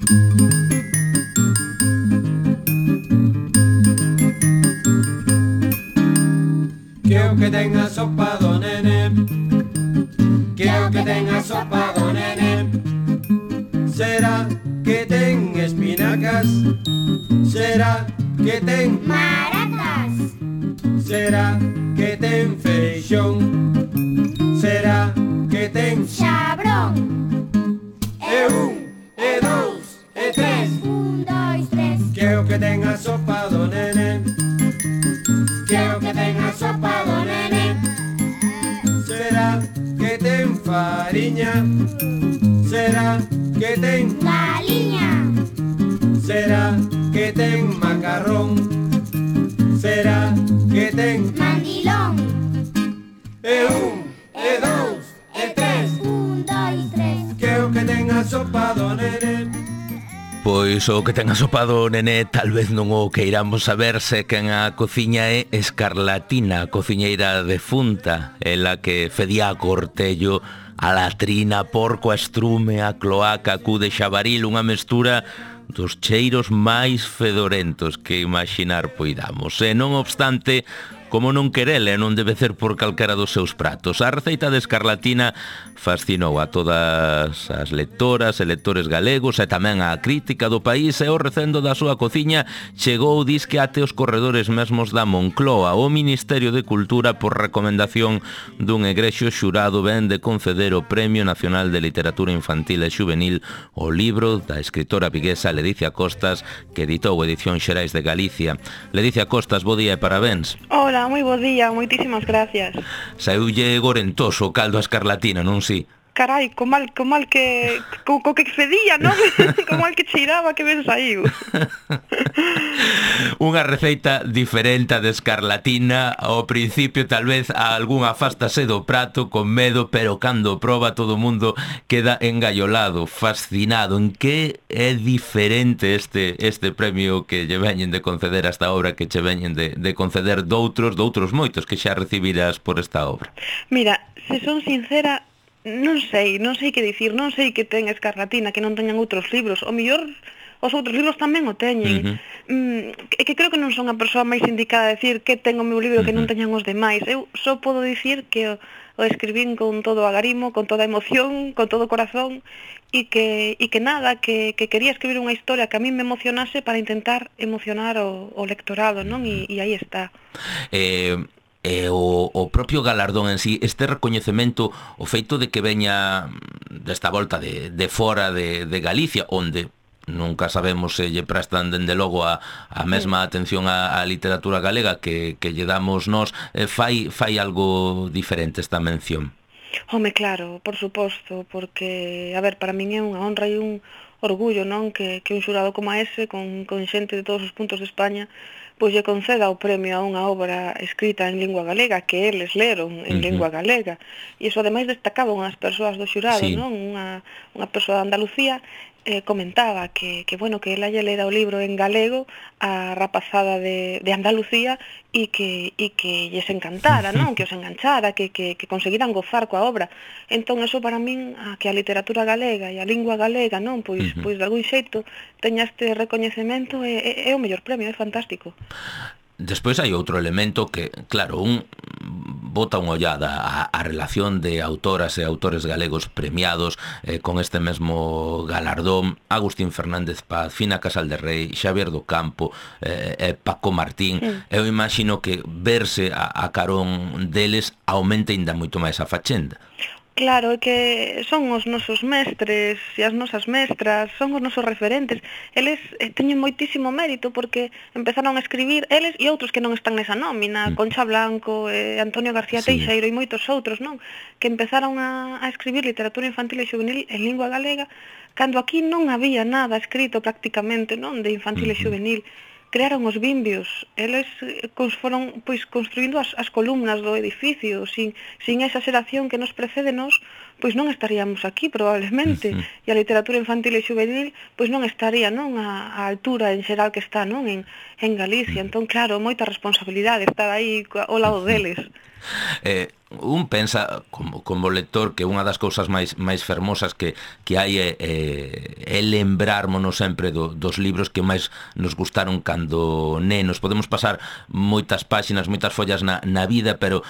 Que o que ten a sopa do nene, que o que ten a sopa do nene. Será que ten espinacas, será que ten maracas, será que ten feixón, será que ten xabrón. e un, e dous, e tres. Un, dois, tres. Que o que ten a sopa do nene, que o que ten a sopa do nene. Será que ten fariña, será que ten Galiña, será que ten macarrón, será que ten mandilón. e un, e dous, e tres. Un, dois, tres. Que o que ten a sopa do nene. Pois o que ten asopado o nené tal vez non o queiramos saber, se quen a cociña é Escarlatina, cociñeira defunta, ela que fedía a cortello, a latrina, porco, a estrume, a cloaca, a cu de xabaril, unha mestura dos cheiros máis fedorentos que imaginar poidamos. E non obstante, como non querele, non debe ser por calquera dos seus pratos. A receita de Escarlatina fascinou a todas as lectoras e lectores galegos e tamén a crítica do país, e o recendo da súa cociña chegou disque até os corredores mesmos da Moncloa. O Ministerio de Cultura, por recomendación dun egrexio xurado, ven de conceder o Premio Nacional de Literatura Infantil e Xuvenil o libro da escritora viguesa Ledicia Costas, que editou Edición Xerais de Galicia. Ledicia Costas, bo día e parabéns. Hola, moi bo día, moitísimas gracias. Saúlle gorentoso o caldo a Escarlatina, non si? Carai, co mal que co que fedía, non? Co mal que cheiraba, que ben saiu. Unha receita diferente de Escarlatina. Ao principio tal vez a algunha afástase do prato con medo, pero cando proba todo o mundo queda engallolado, fascinado. En que é diferente este premio que lle veñen de conceder a esta obra, que che veñen de conceder doutros moitos que xa recibiras por esta obra? Mira, se son sincera, non sei que dicir, non sei que ten Escarlatina que non teñan outros libros. O mellor os outros libros tamén o teñen. É que creo que non son a persoa máis indicada a decir que ten o meu libro que non teñan os demais. Eu só podo dicir que o escribín con todo o agarimo, con toda a emoción, con todo o corazón, e que nada, que quería escribir unha historia que a mí me emocionase para intentar emocionar o lectorado, non? E aí está. O propio galardón en sí, este recoñecemento, o feito de que veña desta volta de fora de Galicia, onde nunca sabemos se lle prestan dende logo a mesma atención á literatura galega que lle damos nós, fai algo diferente esta mención. Home, claro, por suposto, porque, a ver, para min é unha honra e un orgullo, non? Que un xurado como ese, con xente de todos os puntos de España, pois lle conceda o premio a unha obra escrita en lingua galega, que eles leron en lingua galega. E iso ademais destacaban as persoas do xurado, sí, non? Unha persoa de Andalucía comentaba que bueno, que ela lle lera o libro en galego a rapazada de Andalucía e que lles encantara, non? Que os enganchara, que conseguiran gozar coa obra. Entón, eso para min, que a literatura galega e a lingua galega, non? Pois de algún xeito teña este recoñecemento, é o mellor premio, é fantástico. Despois hai outro elemento que, claro, un bota unha ollada á relación de autoras e autores galegos premiados con este mesmo galardón: Agustín Fernández Paz, Fina Casal de Rei, Xavier do Campo, Paco Martín. Eu imagino que verse a carón deles aumenta ainda moito máis a fachenda. Claro, é que son os nosos mestres e as nosas mestras, son os nosos referentes. Eles teñen moitísimo mérito porque empezaron a escribir, eles e outros que non están nesa nómina, Concha Blanco, Antonio García Teixeiro e moitos outros, non? Que empezaron a escribir literatura infantil e juvenil en lingua galega cando aquí non había nada escrito prácticamente, non? De infantil e juvenil. Crearon os bimbios, eles foron pois construindo as columnas do edificio, sin esa xeración que nos precede nos, pois non estaríamos aquí probablemente, e a literatura infantil e juvenil pois non estaría, non, a altura en xeral que está, non, en Galicia. Entón, claro, moita responsabilidade estar aí ao lado deles. Un pensa como lector que unha das cousas máis fermosas que hai é lembrármonos sempre dos libros que máis nos gustaron cando nenos. Podemos pasar moitas páxinas, moitas follas na vida, pero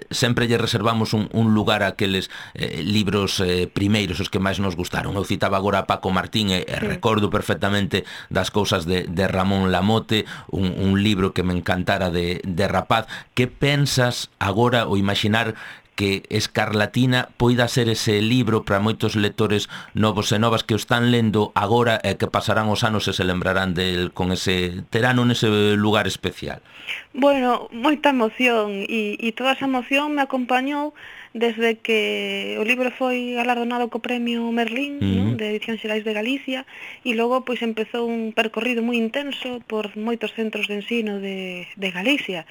sempre lle reservamos un lugar a aqueles libros primeiros, os que máis nos gustaron. Eu citaba agora a Paco Martín e recordo perfectamente das cousas de Ramón Lamote, un libro que me encantara de rapaz. Que pensas agora o imaginar que Escarlatina poida ser ese libro para moitos lectores novos e novas que o están lendo agora e que pasarán os anos e se lembrarán del con ese terano nese lugar especial? Bueno, moita emoción e toda esa emoción me acompañou desde que o libro foi galardonado co premio Merlín, ¿no?, de Edicións Xerais de Galicia, e logo pois empezou un percorrido moi intenso por moitos centros de ensino de Galicia.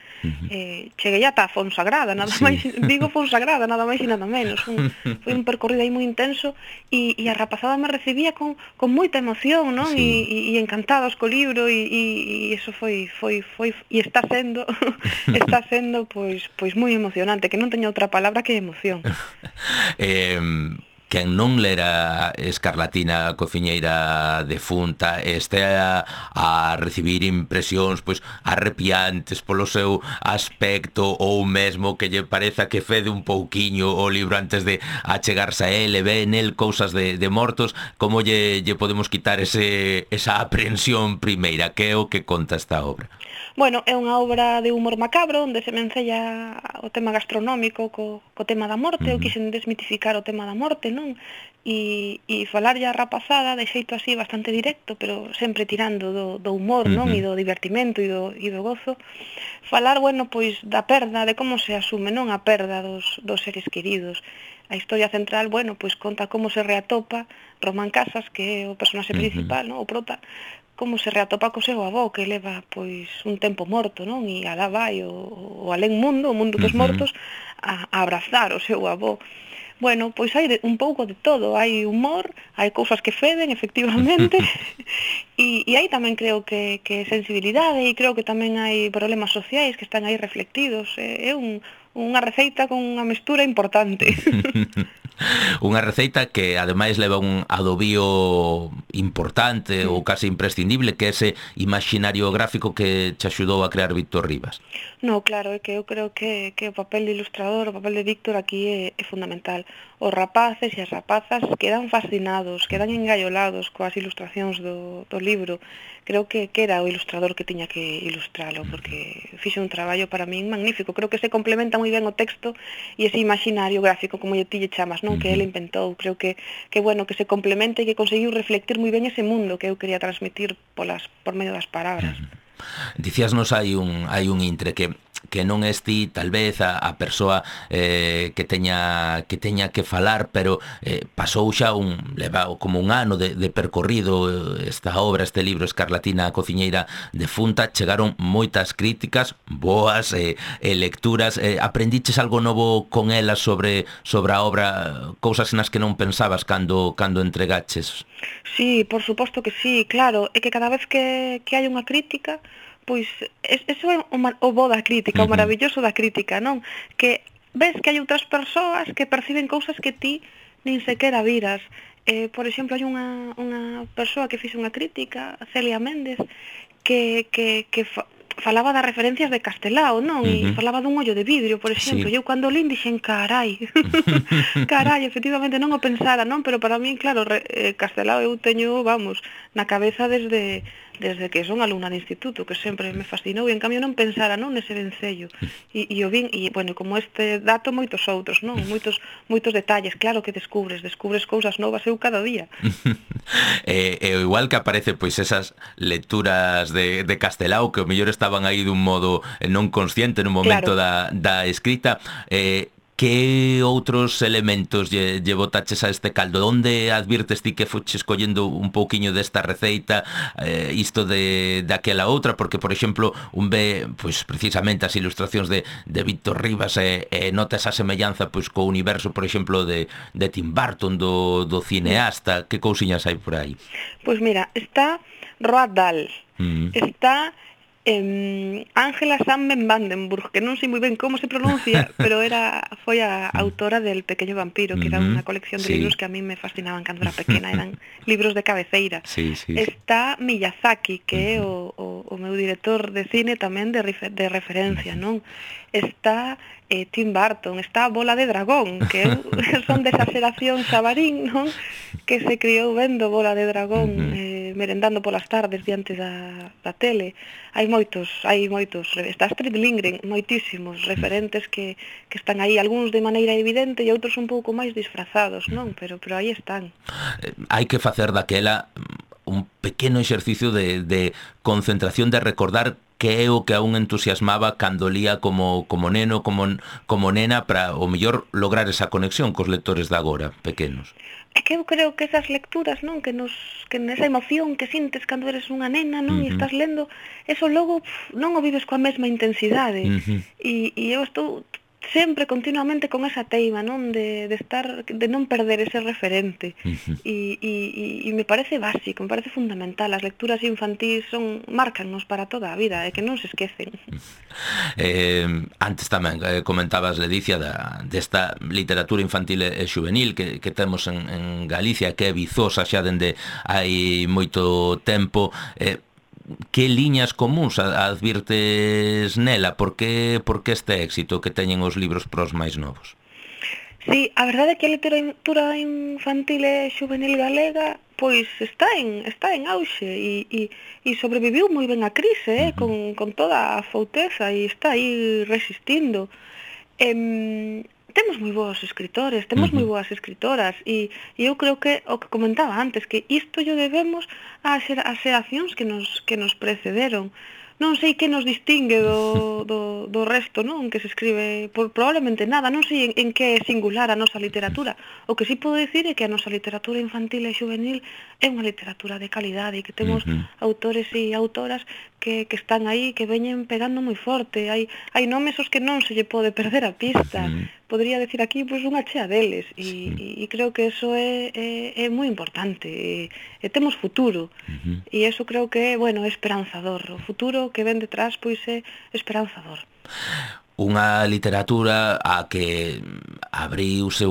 Cheguei ata a Fonsagrada, nada máis, digo Fonsagrada, nada máis e nada menos. Foi un percorrido aí moi intenso e a rapazada me recibía con moita emoción, non? E encantados co libro e iso foi e está sendo pois moi emocionante, que non teño outra palabra que emoción. Quen non lera Escarlatina, cociñeira defunta, este a recibir impresións pois arrepiantes polo seu aspecto, ou mesmo que lle pareza que fede un pouquiño o libro antes de achegarse a él e ve nel cousas de mortos, como lle podemos quitar esa aprensión primeira? Que é o que conta esta obra? Bueno, é unha obra de humor macabro onde se mencella o tema gastronómico co tema da morte. Eu quixen desmitificar o tema da morte, non? E falarlle a rapazada de xeito así bastante directo, pero sempre tirando do humor, non? E do divertimento e do gozo. Falar, bueno, pois da perda, de como se asume, non, a perda dos seres queridos. A historia central, bueno, pois conta como se reatopa Román Casas, que é o personaxe principal, non? O prota, como se reatopa co seu avó, que leva pois un tempo morto, non? E alá vai o alén mundo, o mundo dos mortos, a abrazar o seu avó. Bueno, pois hai un pouco de todo, hai humor, hai cousas que feden, efectivamente, e hai tamén creo que sensibilidade, e creo que tamén hai problemas sociais que están aí reflectidos. É unha receita con unha mestura importante. Unha receita que ademais leva un adobío importante ou case imprescindible, que é ese imaginario gráfico que te axudou a crear Víctor Rivas. No, claro, é que eu creo que o papel de ilustrador, o papel de Víctor aquí é fundamental. Os rapaces e as rapazas quedan fascinados, quedan engaiolados coas ilustracións do libro. Creo que era o ilustrador que tiña que ilustralo, porque fixe un traballo para min magnífico. Creo que se complementa moi ben o texto e ese imaginario gráfico, como ti lle chamas, non? Que ele inventou. Creo que bueno, que se complementa e que conseguiu reflectir moi ben ese mundo que eu quería transmitir por medio das palabras. Dicíasnos hai un intre que non es ti, tal vez, a persoa que teña que falar, pero pasou xa leva como un ano de percorrido esta obra, este libro Escarlatina, a cociñeira defunta. Chegaron moitas críticas boas e lecturas. Aprendiches algo novo con ela sobre a obra, cousas nas que non pensabas cando entregaches? Sí, por suposto que sí, claro. É que cada vez que hai unha crítica, pois eso é o bo da crítica, o maravilloso da crítica, non? Que ves que hai outras persoas que perciben cousas que ti nin sequera viras. Por exemplo, hai unha persoa que fixe unha crítica, Celia Méndez, que falaba das referencias de Castelao, non? E falaba dun ollo de vidrio, por exemplo. E eu cando lín dixen, carai, efectivamente non o pensara, non? Pero para min, claro, Castelao eu teño, vamos, na cabeza desde que son alumna de instituto, que sempre me fascinou, e en cambio non pensara, non, nese vencello. E o vin, e, bueno, como este dato, moitos outros, non? Moitos detalles, claro que descubres cousas novas eu cada día. Igual que aparece, pois, esas lecturas de Castelao, que o mellor estaban aí dun modo non consciente no momento da escrita, Que outros elementos lle botaches a este caldo? Onde advirtes ti que foches collendo un pouquiño desta receita, isto de aquela outra? Porque, por exemplo, un ve, pois, precisamente as ilustracións de Víctor Rivas e nota esa semellanza, pois, co universo, por exemplo, de Tim Burton, do cineasta. Que cousiñas hai por aí? Pois mira, está Roald Dahl, está Ángela Sandberg Vandenburg, que non sei moi ben como se pronuncia, pero foi a autora del Pequeño Vampiro, que era unha colección de libros que a mí me fascinaban cando era pequena, eran libros de cabeceira. Está Miyazaki, que é o meu director de cine tamén de referencia, non? Está Tim Burton, está Bola de Dragón, que son desa xeración xabarín, non? Que se criou vendo Bola de Dragón, merendando polas tardes diante da tele. Hai moitos, está Astrid Lindgren, moitísimos referentes que están aí, algúns de maneira evidente e outros un pouco máis disfrazados, non? Pero aí están. Hai que facer daquela un pequeno exercicio de concentración, de recordar que é o que a un entusiasmaba cando lía como neno, como nena, para o mellor lograr esa conexión cos lectores de agora, pequenos. É que eu creo que esas lecturas, non, que nesa emoción que sintes cando eres unha nena, non, e estás lendo, eso logo non o vives coa mesma intensidade. E eu estou sempre continuamente con esa teima, non, de non perder ese referente. E me parece básico, me parece fundamental. As lecturas infantís marcannos para toda a vida, e que non se esquecen. Antes tamén comentabas, Ledicia, desta literatura infantil e xuvenil que temos en Galicia, que é vizosa xa dende hai moito tempo. Que liñas comuns advirtes nela? Por que este éxito que teñen os libros pros máis novos? Sí, a verdade é que a literatura infantil e xuvenil galega pois está en auxe e sobreviviu moi ben a crise, con toda a fouteza, e está aí resistindo. Temos moi bons escritores, temos moi boas escritoras, e eu creo que o que comentaba antes, que isto yo debemos ás xeracións que nos precederon. Non sei que nos distingue do resto, non, que se escribe, probablemente nada, non sei en que é singular a nosa literatura. O que sí podo dicir é que a nosa literatura infantil e juvenil é unha literatura de calidade, e que temos autores e autoras que están aí, que veñen pegando moi forte. Hai nomes os que non se lle pode perder a pista. Podría decir aquí pois unha chea deles, e creo que eso é moi importante, e temos futuro, e eso creo que é, bueno, esperanzador. O futuro que ven detrás pois é esperanzador. Unha literatura a que se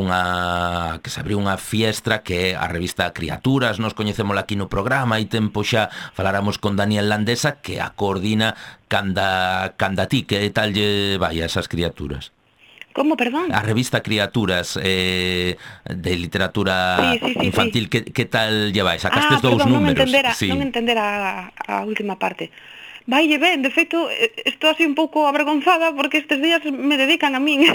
abriu unha fiestra, que é a revista Criaturas. Nos coñecémola aquí no programa, hai tempo xa faláramos con Daniel Landesa, que a coordina canda ti. Que tal lle vai a esas Criaturas? Como, perdón? A revista Criaturas de literatura infantil, que tal lle vai? Sacastes dous números. Non entendera a última parte. Vaille ben, de feito, estou así un pouco avergonzada porque estes días me dedican a min.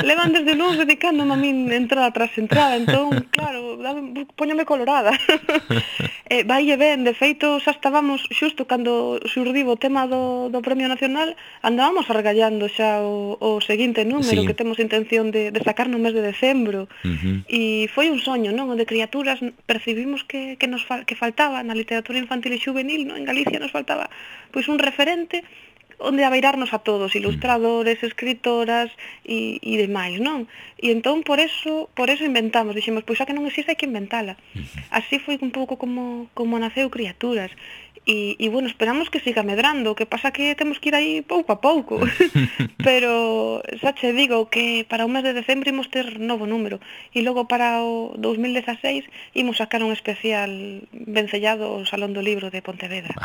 Levan desde luns dedicándome a min entrada tras entrada, entón, claro, póñome colorada. Vaille ben, de feito, xa estábamos, xusto cando xurdiu o tema do Premio Nacional, andábamos argallando xa o seguinte número que temos intención de sacar no mes de decembro. E foi un soño, non? O de Criaturas percibimos que faltaba na literatura infantil e juvenil, non? En Galicia nos faltaba pois un referente onde abeirarnos a todos, ilustradores, escritoras e demais, non? E entón por eso inventamos, dixemos, pois xa que non existe hai que inventala. Así foi un pouco como naceu Criaturas. E bueno, esperamos que siga medrando, o que pasa que temos que ir aí pouco a pouco. Pero xa che digo que para o mes de decembro imos ter novo número, e logo para o 2016 imos sacar un especial vencellado ao Salón do Libro de Pontevedra.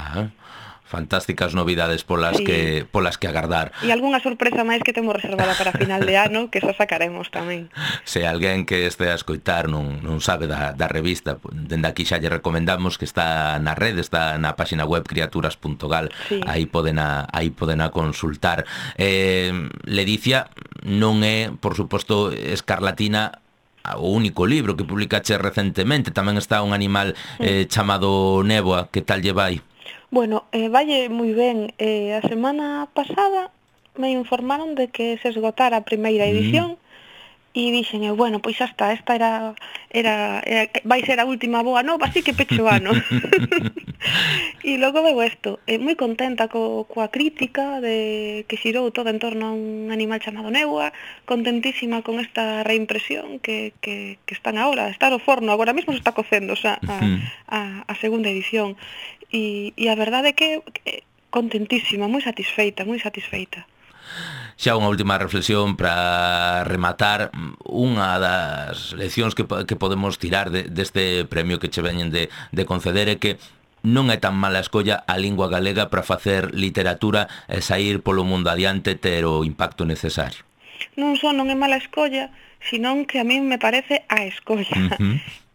Fantásticas novidades polas que agardar. E algunha sorpresa máis que temos reservada para final de ano, que xa sacaremos tamén. Se alguén que este a escoitar non sabe da revista, dende aquí xa lle recomendamos que está na rede, está na página web criaturas.gal, aí poden a consultar. Ledicia, non é, por suposto, Escarlatina o único libro que publicache recentemente, tamén está un animal chamado Néboa. Que tal lle vai? Bueno, valle moi ben. A semana pasada me informaron de que se esgotara a primeira edición, E dixen eu, bueno, pois xa está, esta vai ser a última boa nova, así que pecho o ano. E logo veu isto, moi contenta coa crítica que xirou todo en torno a un animal chamado Neua, contentísima con esta reimpresión que están agora, está no forno, agora mesmo se está cocendo a segunda edición. E a verdade é que contentísima, moi satisfeita, moi satisfeita. Xa unha última reflexión para rematar. Unha das leccións que podemos tirar deste premio que che veñen de conceder é que non é tan mala escolla a lingua galega para facer literatura e sair polo mundo adiante, ter o impacto necesario. Non só non é mala escolla, senón que a mí me parece a escolla.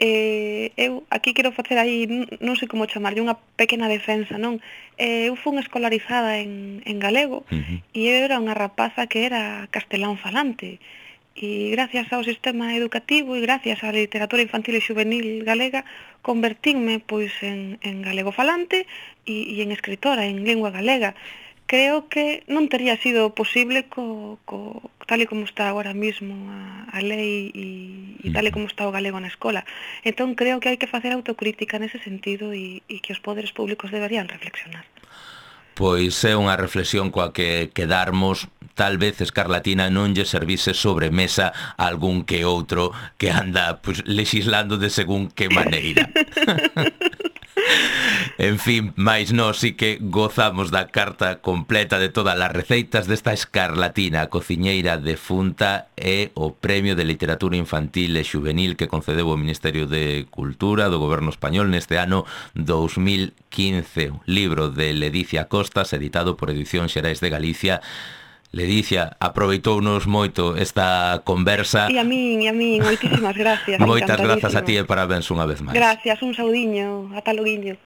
Eu aquí quero facer aí, non sei como chamarlle, unha pequena defensa, non? Eu fui escolarizada en galego e eu era unha rapaza que era castelán falante. E gracias ao sistema educativo e gracias á literatura infantil e juvenil galega convertínme pois en galego falante e en escritora en lingua galega. Creo que non tería sido posible tal e como está agora mismo a lei e tal e como está o galego na escola. Entón creo que hai que facer autocrítica nese sentido e que os poderes públicos deberían reflexionar. Pois é unha reflexión coa que quedarmos. Tal vez Escarlatina non lle servise sobremesa a algún que outro que anda legislando de según que maneira. En fin, máis nós sí que gozamos da carta completa de todas as receitas desta Escarlatina, cociñeira defunta, e o Premio de Literatura Infantil e Xuvenil que concedeu o Ministerio de Cultura do Goberno Español neste ano 2015. Un libro de Ledicia Costas, editado por Edición Xerais de Galicia. Ledicia, aproveitounos moito esta conversa. E a min, moitísimas gracias. Moitas grazas a ti e parabéns unha vez máis. Gracias, un saudiño, ata loguiño.